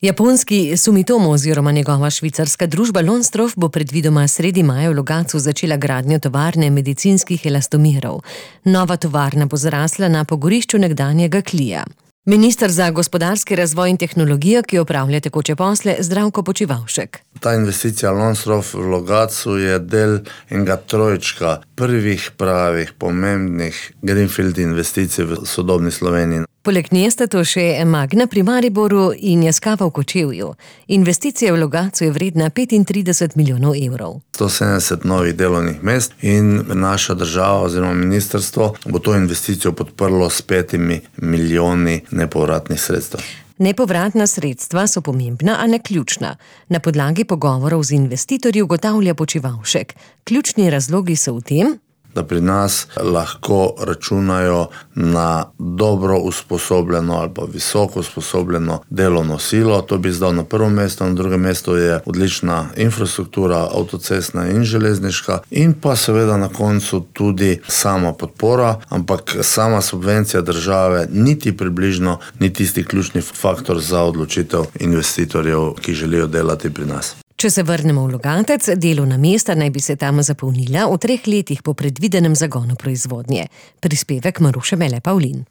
Japonski Sumitomo oziroma njegova švicarska družba Lonsdorf bo predvidoma sredi maja v Logatcu začela gradnjo tovarne medicinskih elastomerov. Nova tovarna bo zrasla na pogorišču nekdanjega Klija. Minister za gospodarski razvoj in tehnologijo, ki opravlja tekoče posle, Zdravko Počivalšek. Ta investicija Lonsdorf v Logatcu je del enega trojčka prvih pravih, pomembnih greenfield investicij v sodobni Sloveniji. Poleg nje sta to še Magna pri Mariboru in Yaskawa v Kočevju. Investicija v Logatcu je vredna 35 milijonov evrov. 170 novih delovnih mest in naša država oziroma ministrstvo bo to investicijo podprlo s 5 milijoni nepovratnih sredstev. Nepovratna sredstva so pomembna, a ne ključna. Na podlagi pogovorov z investitorji ugotavlja Počivalšek. Ključni razlogi so v tem, da pri nas lahko računajo na dobro usposobljeno ali pa visoko usposobljeno delovno silo. To bi zdal na prvo mesto, na drugem mestu je odlična infrastruktura, avtocestna in železniška in pa seveda na koncu tudi sama podpora, ampak sama subvencija države niti približno ni tisti ključni faktor za odločitev investitorjev, ki želijo delati pri nas. Če se vrnemo v Logatec, delovna mesta naj bi se tam zapolnila v 3 letih po predvidenem zagonu proizvodnje. Prispevek Maruše Mele Pavlin.